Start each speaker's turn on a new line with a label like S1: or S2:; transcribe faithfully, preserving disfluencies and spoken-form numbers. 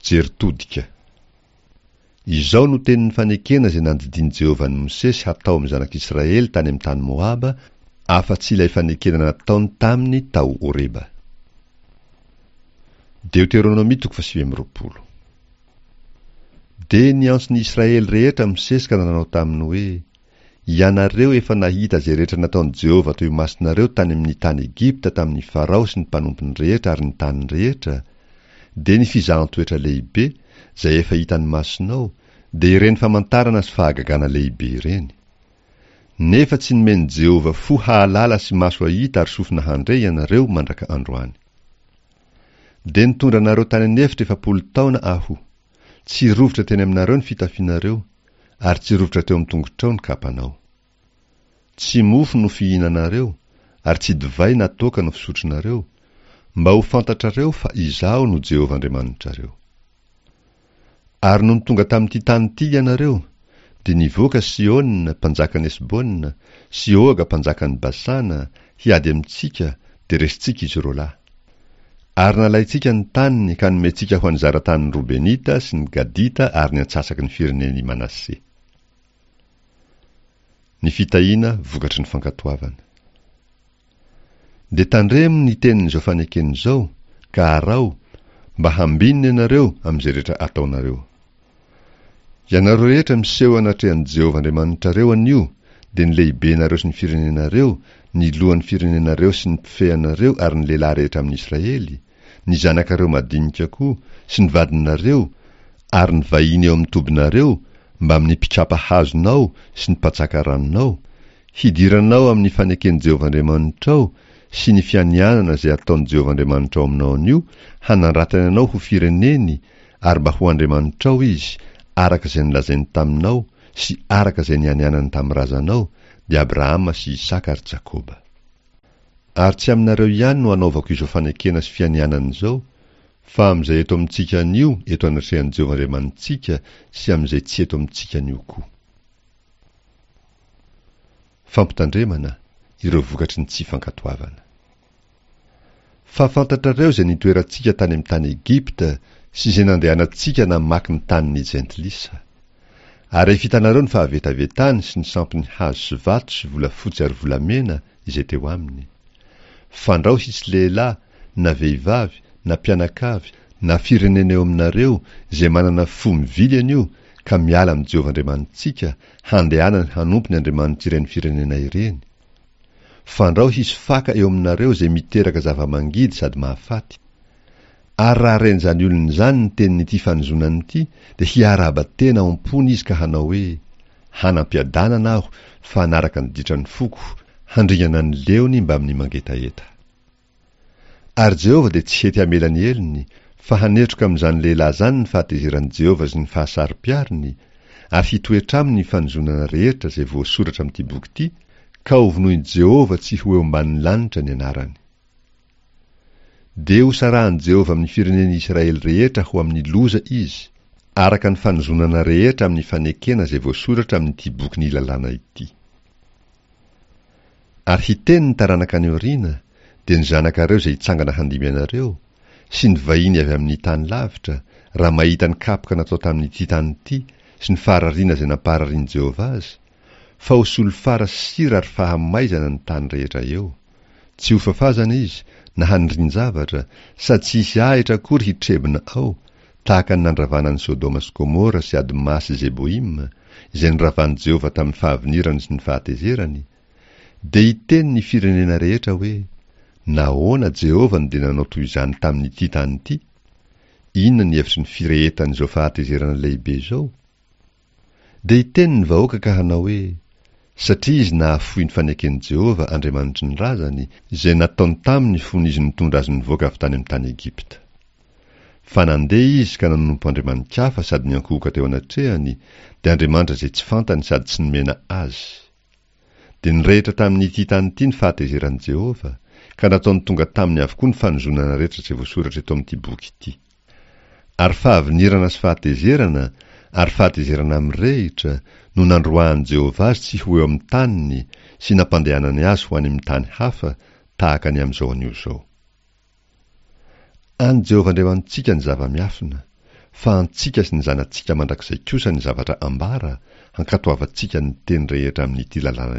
S1: Jery todika. Izao no tenin'ny fanekena izay nandidian'i Jehovah an'i Mosesy hatao amin'ny zanak'Israely tany amin'ny tany Moaba, afa-tsy ilay fanekena nataony taminy tao Horeba. Deoteronomia toko fahasivy amby roapolo. Dia niantso ny Israely rehetra Mosesy ka nanao taminy hoe, Ianareo efa nahita izay rehetra nataon'i Jehovah teo imasonareo tany amin'ny tany Egypta tamin'i Farao sy ny mpanompony rehetra ary ny taniny rehetra, dia ny fizahan-toetra lehibe, izay efa hitan'ny masonao, dia ireny famantarana sy fahagagana lehibe ireny. Nefa tsy nomen'i Jehovah fo hahalala sy maso hahita ary sofina handre ianareo mandraka androany. Dia nitondra anareo tany an'efitra efapolo taona aho. Tsy rovitra teny aminareo ny fitafianareo, ary tsy rovitra teo amin'ny tongotrao ny kapanao. Tsy mofo no fihinanareo, ary tsy divay na toaka no fisotronareo, mba ho fantatrareo fa Izaho no Jehovah Andriamanitrareo. Ary nony tonga tamin'ity tany ity ianareo, dia nivoaka Sihona, mpanjakan'i Hesbona, sy Oga, mpanjakan'i Basana, hiady amintsika, dia resintsika izy roa lahy. Ary nalaintsika ny taniny ka nomentsika ho an'ny zara-tanin'ny Robenita sy ny Gadita ary ny antsasaky ny firenen'i Manase. Ny fitahiana vokatry ny fankatoavana. Dia tandremo ny tenin'izao fanekena izao, ka araho, mba hambinina ianareo amin'izay rehetra ataonareo. Ianareo rehetra miseho anatrehan'i Jehovah Andriamanitrareo anio, dia ny lehibenareo sy ny firenenareo, ny lohan'ny firenenareo sy ny mpifehy anareo ary ny lehilahy rehetra amin'ny Israely, ny zanakareo madinika koa, sy ny vadinareo, ary ny vahiny eo amin'ny tobinareo, mbamin'ny mpikapa hazonao sy ny mpatsaka ranonao, hidiranao amin'ny faneken'i Jehovah Andriamanitrao sy ny fianianana izay ataon'i Jehovah Andriamanitrao aminao anio, hanandratany anao ho fireneny ary mba ho Andriamanitrao izy, araka izay nolazainy taminao sy araka izay nianianany tamin'ny razanao, dia Abrahama sy Isaka ary Jakoba. Ary tsy aminareo ihany no anaovako izao fanekena sy fianianana izao, fa amin'izay eto amintsika anio eto anatrehan'i Jehovah Andriamanitsika sy amin'izay tsy eto amintsika anio koa. Fampitandremana, ireo vokatry ny tsy fankatoavana. Fa fantatrareo izay nitoerantsika tany amin'ny tany Egypta sy izay nandehanantsika namaky ny tanin'ny jentilisa. Ary efa hitanareo ny fahavetavetany sy ny sampiny hazo sy vato sy volafotsy ary volamena izay teo aminy. Fandrao hisy lehilahy, na vehivavy, na mpianakavy, na firenena eo aminareo izay manana fo mivily anio ka miala amin'i Jehovah Andriamanitsika handehanany hanompo ny andriamanitr'ireny firenena ireny. Fandrao hisy faka eo aminareo izay miteraka zava-mangidy sady mahafaty. Ary raha ren'izany olona izany ny tenin'ity fanozonana ity, dia hiarahaba tena ao am-pony izy ka hanao hoe, Hanam-piadanana aho fa hanaraka ny ditran'ny foko, handringana ny leony mbamin'ny mangetaheta. Ary Jehovah dia tsy hety hamela ny helony, fa hanetroka amin'izany lehilahy izany ny fahatezeran'i Jehovah sy ny fahasaro-piariny, ary hitoetra aminy ny fanozonana rehetra izay voasoratra amin'ity boky ity, ka hovonoin'i Jehovah tsy ho eo ambanin'ny lanitra ny anarany. Dia hosarahan'i Jehovah amin'ny firenen'i Israely rehetra ho amin'ny loza izy, araka ny fanozonana rehetra amin'ny fanekena izay voasoratra amin'ity bokin'ny lalàna ity. Ary hiteny ny taranaka any aoriana, dia ny zanakareo izay hitsangana handimby anareo, sy ny vahiny avy amin'ny tany lavitra, raha mahita ny kapoka natao tamin'ity tany ity sy ny faharariana izay nampararian'i Jehovah azy, fa ho solifara sy sira ary fahamaizana ny tany rehetra eo. Tsy ho fafazana izy, na hanindrin-javatra, sady tsy hisy ahitra akory hitrebona ao, tahaka ny nandravana an'i Sodoma sy Gomora sy Adma sy Zeboima, izay noravan'i Jehovah tamin'ny fahavinirany sy ny fahatezerany. Dia hiteny ny firenena rehetra hoe, Nahoana Jehovah no dia nanao toy izany tamin'ity tany ity? Inona ny hevitry ny firehetan'izao fahatezerana lehibe izao? Dia hiteny ny vahoaka ka hanao hoe, Satria izy nahafoy ny faneken'i Jehovah Andriamanitry ny razany, izay nataony taminy fony izy nitondra azy nivoaka avy tany amin'ny tany Egypta. Fa nandeha izy ka nanompo andriamani-kafa sady niankohoka teo anatrehany, dia andriamanitra izay tsy fantany sady tsy nomena azy. Dia nirehitra tamin'ity tany ity ny fahatezeran'i Jehovah, ka nataony tonga taminy avokoa ny fanozonana rehetra izay voasoratra eto amin'ity boky ity. Ary fahavinirana sy fahatezerana ary fahatezerana mirehitra no nandroahan'i Jehovah azy tsy ho eo amin'ny taniny sy nampandehanany azy ho any amin'ny tany hafa, tahaka ny amin'izao anio izao. An'i Jehovah Andriamanitsika ny zava-miafina, Fa antsika sy ny zanatsika mandrakizay kosa ny zavatra ambara, hankatoavantsika ny teny rehetra amin'ity lalàna